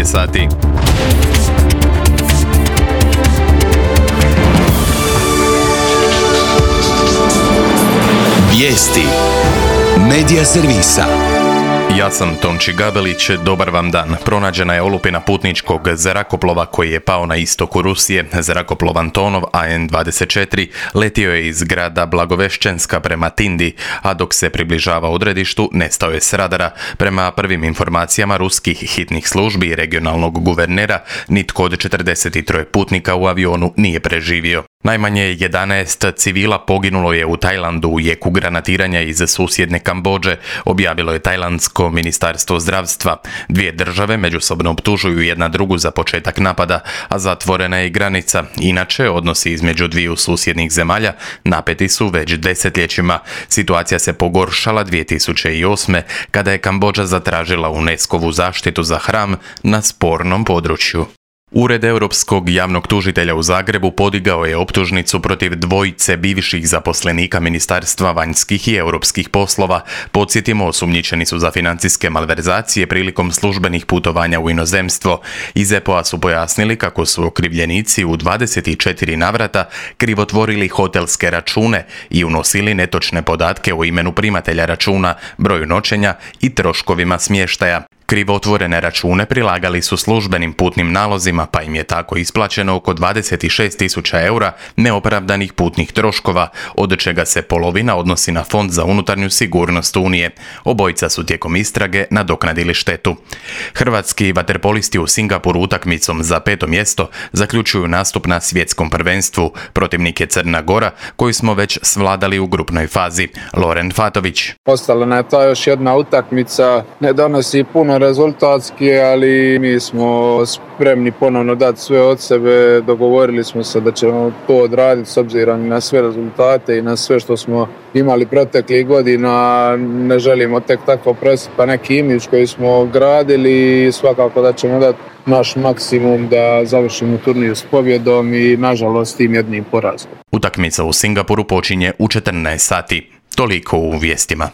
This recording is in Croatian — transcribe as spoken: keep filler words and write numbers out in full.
šesnaest sati. Vijesti Medija servisa. Ja sam Tonči Gabelić, dobar vam dan. Pronađena je olupina putničkog zrakoplova koji je pao na istoku Rusije. Zrakoplov Antonov A N dvadeset četiri letio je iz grada Blagovešćenska prema Tindi, a dok se približava odredištu nestao je s radara. Prema prvim informacijama ruskih hitnih službi i regionalnog guvernera, nitko od četrdeset tri putnika u avionu nije preživio. Najmanje jedanaest civila poginulo je u Tajlandu u jeku granatiranja iz susjedne Kambodže, objavilo je tajlandsko ministarstvo zdravstva. Dvije države međusobno optužuju jedna drugu za početak napada, a zatvorena je i granica. Inače, odnosi između dviju susjednih zemalja napeti su već desetljećima. Situacija se pogoršala dvije tisuće osme. kada je Kambodža zatražila UNESCO-vu zaštitu za hram na spornom području. Ured Europskog javnog tužitelja u Zagrebu podigao je optužnicu protiv dvojice bivših zaposlenika Ministarstva vanjskih i europskih poslova. Podsjetimo, osumnjičeni su za financijske malverzacije prilikom službenih putovanja u inozemstvo. Iz E P O-a su pojasnili kako su okrivljenici u dvadeset četiri navrata krivotvorili hotelske račune i unosili netočne podatke o imenu primatelja računa, broju noćenja i troškovima smještaja. Krivotvorene račune prilagali su službenim putnim nalozima, pa im je tako isplaćeno oko dvadeset šest tisuća eura neopravdanih putnih troškova, od čega se polovina odnosi na Fond za unutarnju sigurnost Unije. Obojica su tijekom istrage nadoknadili štetu. Hrvatski vaterpolisti u Singapuru utakmicom za peto mjesto zaključuju nastup na svjetskom prvenstvu. Protivnik je Crna Gora, koju smo već svladali u grupnoj fazi. Loren Fatović. Ostala nam je ta još jedna utakmica, ne donosi puno rezultatski, ali mi smo spremni ponovno dati sve od sebe. Dogovorili smo se da ćemo to odraditi s obzirom na sve rezultate i na sve što smo imali proteklih godina. Ne želimo tek tako presipa neki imidž koji smo gradili i svakako da ćemo dati naš maksimum da završimo turnir s pobjedom i nažalost tim jednim porazom. Utakmica u Singapuru počinje u četrnaest sati. Toliko u vijestima.